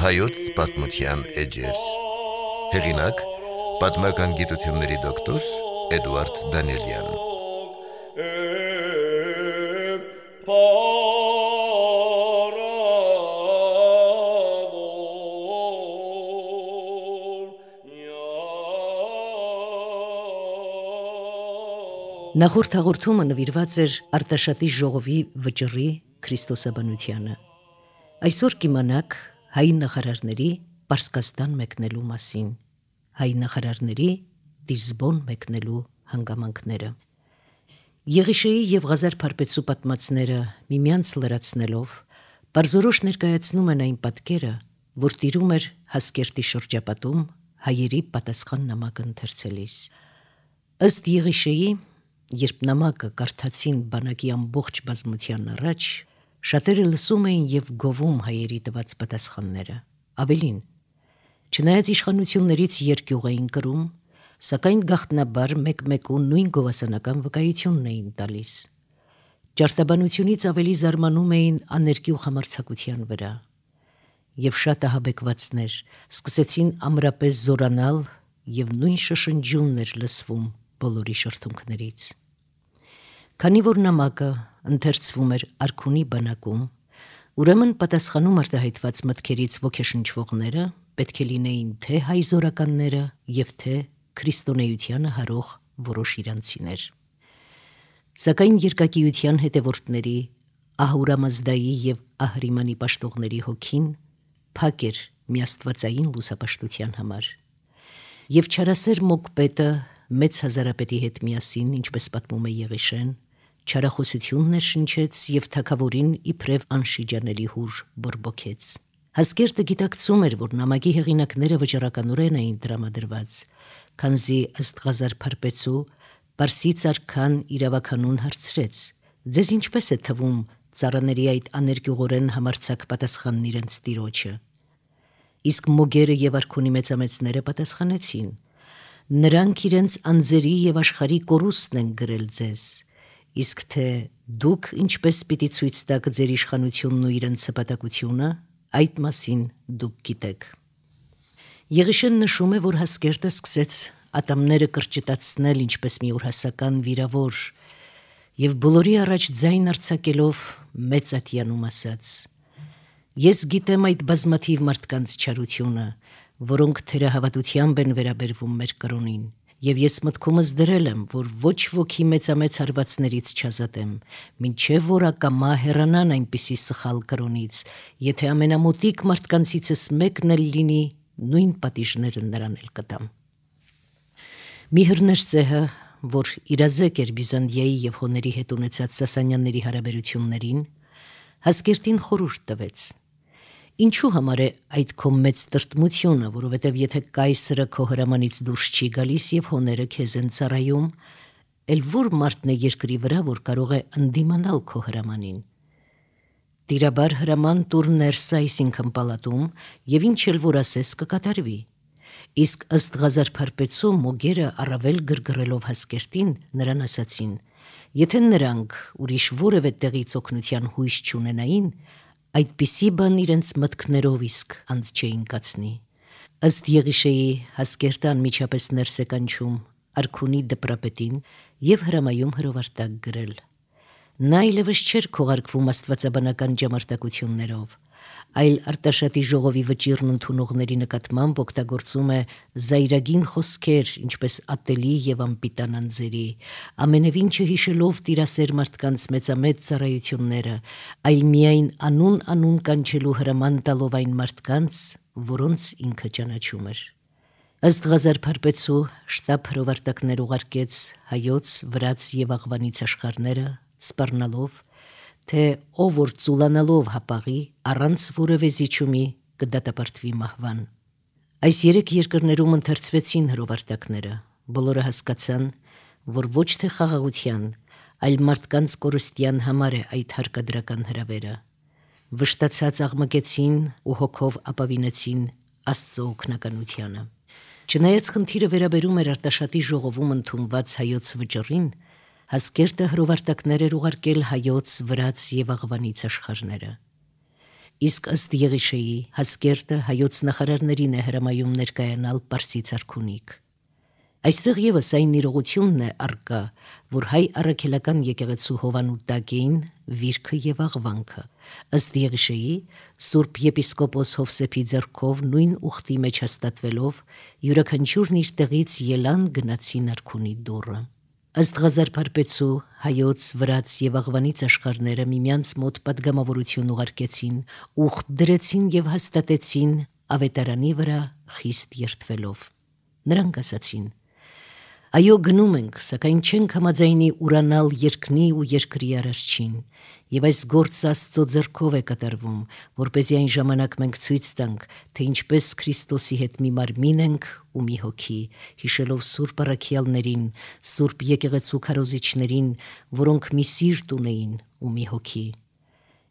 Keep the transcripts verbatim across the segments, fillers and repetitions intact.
Հայոց պատմության էջեր։ Հեղինակ՝ պատմական գիտությունների դոկտոր Էդուարդ Դանիելյան։ Նախորդ հաղորդումը նվիրված էր Արտաշատի ժողովի վճռի քրիստոսաբանությանը։ Այսօր կիմանաք հայ նախարարների Պարսկաստան մեկնելու մասին, հայ նախարարների Լիզբոն մեկնելու հանգամանքները։ Եղիշեի և Ղազար Փարպեցու պատմածները միմյանց լրացնելով պարզորոշ ներկայացնում են այն պատկերը, որ տիրում էր Հասկերտի շրջապատում հայերի պատասխան նամակը ընթերցելիս։ Ըստ Եղիշեի, երբ նամակը կարդացին բանակի ամբողջ բազմության առաջ, շատերը լսում էին և գովում հայերի տված պատասխանները։ Ավելին, չնայած իշխանություններից երկյուղ էին կրում, սակայն գաղտնաբար մեկ-մեկու նույն գովասանական վկայությունն էին տալիս։ Ճարտաբանությունից ավելի զարմանում էին աներկյուղ համարձակության վրա։ Եվ շատ ահաբեկվածներ սկսեցին ամրապես զորանալ և նույն շշնջյունն էր լսվում բոլորի շրթունքներից։ Քանի որ նամակը ընթերցվում էր արքունի բանակում, ուրեմն պատասխանում արտահայտված մտքերից ոգեշնչվողները պետք է լինեին թե հայ զորականները և թե քրիստոնեությանը հարող որոշ իրանցիներ։ Սակայն երկակիության հետևորդների Ահուրամազդայի և Ահրիմանի պաշտողների հոգին փակ էր միաստվածային լուսապաշտության համար։ Եվ չարասեր Մոկպետը մեծ հազարապետի հետ միասին, ինչպես պատմում է Եղիշեն, չարախոսություն ներշնչեց և թագավորին իբրև անշիջանելի հուր բորբոքեց։ Հասկերտը գիտակցում էր, որ նամակի հեղինակները վճռականորեն էին տրամադրված, քանզի ըստ Ղազար Փարպեցու Պարսից արքան իրավականուն հարցրեց. «Ձեզ ինչպես է թվում ծառաների այդ աներկյուղորեն համարձակ պատասխանն իրենց տիրոջը»։ Իսկ Մոգերը և արքունի մեծամեծները պատասխանեցին. «Նրանք իրենց անձերի և աշխարհի կորուստն են գրել ձեզ, իսկ թե դուք ինչպես պիտի ցույց տաք ձեր իշխանությունն ու իրենց հպատակությունը, այդ մասին դուք գիտեք»։ Եղիշեն նշում է, որ Հասկերտը սկսեց ատամները կրճտացնել ինչպես մի օրհասական վիրավոր և բոլորի առաջ ձայն արձակելով մեծ ատյանում ասաց. «Ես գիտեմ այդ բազմաթիվ մարդկանց չարությունը, որոնք թերահավատությամբ են վերաբերվում մեր կրոնին, և ես մտքումս դրել եմ, որ ոչ ոքի մեծամեծ հարվածներից չազատեմ, մինչև որ ակամա հեռանան այնպիսի սխալ կրոնից, եթե ամենամոտիկ մարդկանցիցս մեկն էլ լինի, նույն պատիժները նրան էլ կտամ»։ Միհր Ներսեհը, որ իրազեկ էր Բյուզանդիայի և հոների հետ ունեցած Սասանյանների հարաբերություններին, Հասկերտին խորհուրդ տվեց. «Ինչու համար է այդ քո մեծ տրտմությունը, որովհետև եթե կայսրը քո հրամանից դուրս չի գալիս և հոները քեզ են ծառայում, էլ ո՞ր մարդն է երկրի վրա, որ կարող է ընդդիմանալ քո հրամանին։ Տիրաբար հրաման տուր Ներսը, այսինքն պալատում, և ինչ էլ որ ասես կկատարվի»։ Իսկ ըստ Ղազար Փարպեցու Մոգերը առավել գրգռելով Հասկերտին, նրան ասացին. «Եթե նրանք ուրիշ որևէ տեղից օգնության հույս չունենային, այդպիսի բան իրենց մտքներով իսկ անց չէին կացնի»։ Ըստ Եղիշեի, Հասկերտը անմիջապես ներս է կանչում արքունի դպրապետին և հրամայում հրովարտակ գրել։ Նա այլևս չէր քողարկվում աստվածաբանական ճամարտակություններով, այլ Արտաշատի ժողովի վճիռն ընդունողների նկատմամբ օգտագործում է զայրագին խոսքեր, ինչպես ատելի և անպիտան անձերի, ամենևին չհիշելով տիրասեր մարդկանց մեծամեծ ծառայությունները, այլ միայն անուն-անուն կանչելու հրաման տալով այն մարդկանց, որոնց ինքը ճանաչում էր։ Ըստ Ղազար Փարպեցու, շտապ հրովարտակներ ուղարկեց հայոց, վրաց և աղվանից աշխարհները, սպառնալով, թե ով որ ծուլանալով հապաղի, առանց որևէ զիջումի կդատապարտվի մահվան։ Այս երեք երկրներում ընթերցվեցին հրովարտակները, բոլորը հասկացան, որ ոչ թե խաղաղության, այլ մարդկանց կորստյան համար է այդ հարկադրական հրավերը։ Վշտացած աղմկեցին ու հոգով ապավինեցին Աստծո օգնականությանը։ Չնայած խնդիրը վերաբերում էր Արտաշատի ժողովում ընդունված հայոց վճռին, Հասկերտը հրովարտակներ էր ուղարկել հայոց, վրաց և աղվանից աշխարհները։ Իսկ ըստ Եղիշեի Հասկերտը հայոց նախարարներին է հրամայում ներկայանալ Պարսից արքունիք։ Այստեղ ևս այն իրողությունն է առկա, որ հայ առաքելական եկեղեցու հովանու տակ էին վիրքը եւ աղվանքը։ Ըստ Եղիշեի Սուրբ եպիսկոպոս Հովսեփի ձեռքով նույն ուխտի մեջ հաստատվելով յուրաքանչյուրն իր տեղից ելան գնացին արքունի դուռը։ Ըստ Ղազար-Փարպեցու հայոց, վրաց եւ աղվանից աշխարհները միմյանց մոտ պատգամավորություն ուղարկեցին, ուխտ դրեցին եւ հաստատեցին ավետարանի վրա խիստ երդվելով։ Նրանք ասացին. «Այո, գնում ենք, սակայն չենք համաձայնի ուրանալ երկնի ու երկրի արարչին, եւ այս գործը Աստծո ձեռքով է կատարվում, որպեսզի այն ժամանակ մենք ցույց տանք, թե ինչպես Քրիստոսի հետ մի մարմին ենք ու մի հոգի, հիշելով Սուրբ առաքյալներին, Սուրբ եկեղեցու քարոզիչներին, որոնք մի սիրտ ունեին ու մի հոգի։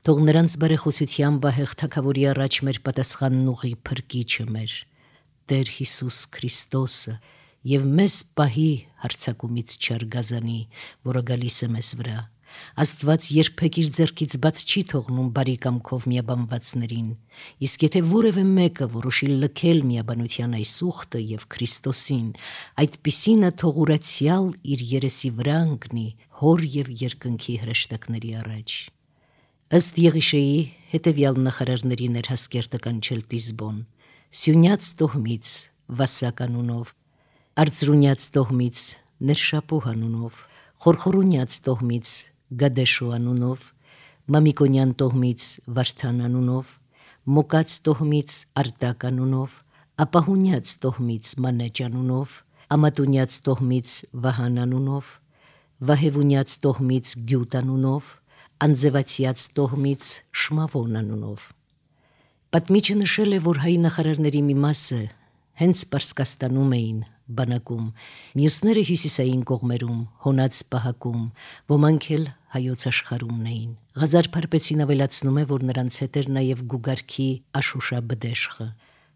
Թող նրանց բարեխոսությամբ ահեղ թագավորի առաջ մեր պատասխանն ուղի փրկիչը մեր, Տեր Հիսուս Քրիստոսը, եւ մեզ պահի հարձակումից չարգազանի, որը գալիս է մեզ վրա։ Աստված երբեք իր ձեռքից բաց չի թողնում բարի կամքով միաբանվածներին, իսկ եթե որևէ մեկը որոշի լքել միաբանության այս ուխտը եւ Քրիստոսին, այդպիսինը թող ուրացյալ իր երեսի վրա ընկնի հոր եւ երկնքի հրեշտակների առաջ»։ Ըստ Եղիշեի հետևյալ նախարարներին էր Հասկերտը կանչել Տիզբոն, Սյունյաց տոհմից Վասակ անունով, Արծրունյաց տոհմից Ներշապուհ անունով, Խորխորունյաց տոհմից Գադեշու անունով, Մամիկոնյան տոհմից Վարդան անունով, Մոկած տոհմից Արտակ անունով, Ապահունյաց տոհմից Մանեջ անունով, Ամատունյաց տոհմից Վահան անունով, Վահևունյաց տոհմից Գյուտ անունով, Անձևացյաց տոհմից Շմավոն անունով։ Պատմիչը նշել է, որ հայ նախարարների մի մասը հենց Պարսկաստանում էին բանակում, մյուսները հյուսիսային կողմերում, հոնած պահակում, ոմանք էլ հայոց աշխարհումն էին։ Ղազար-Փարպեցին ավելացնում է, որ նրանց հետ էր նաև Գուգարքի Աշուշա Բդեշխը։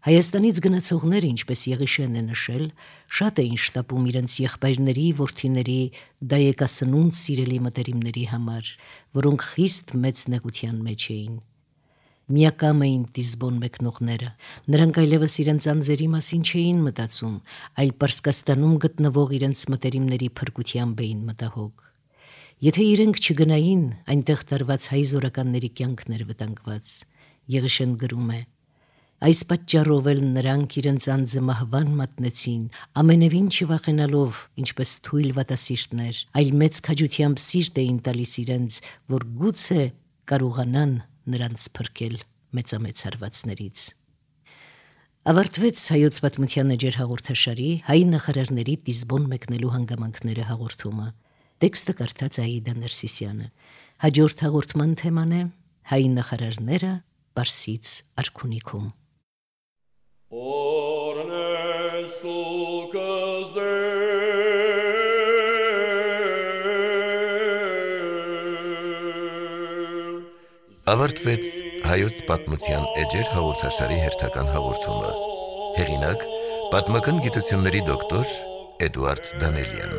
Հայաստանից գնացողները, ինչպես Եղիշեն է նշել, շատ էին շտապում իրենց եղբայրների, որդիների, դայեկասնունդ սիրելի մտերիմների համար, որոնք խիստ մեծ նեղության մեջ էին։ Միակամ էին Տիզբոն մեկնողները, նրանք այլևս իրենց անձերի մասին չէին մտածում, այլ Պարսկաստանում գտնվող իրենց մտերիմների փրկությամբ էին մտահոգ։ Եթե իրենք չգնային, այնտեղ տարված հայ զորականների կյանքն էր վտանգված։ Եղիշեն գրում է. «Այս պատճառով էլ նրանք իրենց անձը մահվան մատնեցին, ամենևին չվախենալով, ինչպես թույլ վատասիրտներ, այլ մեծ քաջությամբ սիրտ էին տալիս իրենց, որ գուցե կարողանան նրանց փրկել մեծամեծ հարվածներից»։ Ավարտվեց հայոց պատմության էջեր հաղորդաշարի հայ նախարարների Տիզբոն մեկնելու հանգամանքները հաղորդումը։ Տեքստը կարդաց Աիդա Ներսիսյանը։ Հաջորդ հաղորդման թեման է հայ նախարարները Պարսից արքունիքում։ Ավարտվեց հայոց պատմության էջեր հաղորդաշարի հերթական հաղորդումը։ Հեղինակ՝ պատմական գիտությունների դոկտոր Էդուարդ Դանելյան։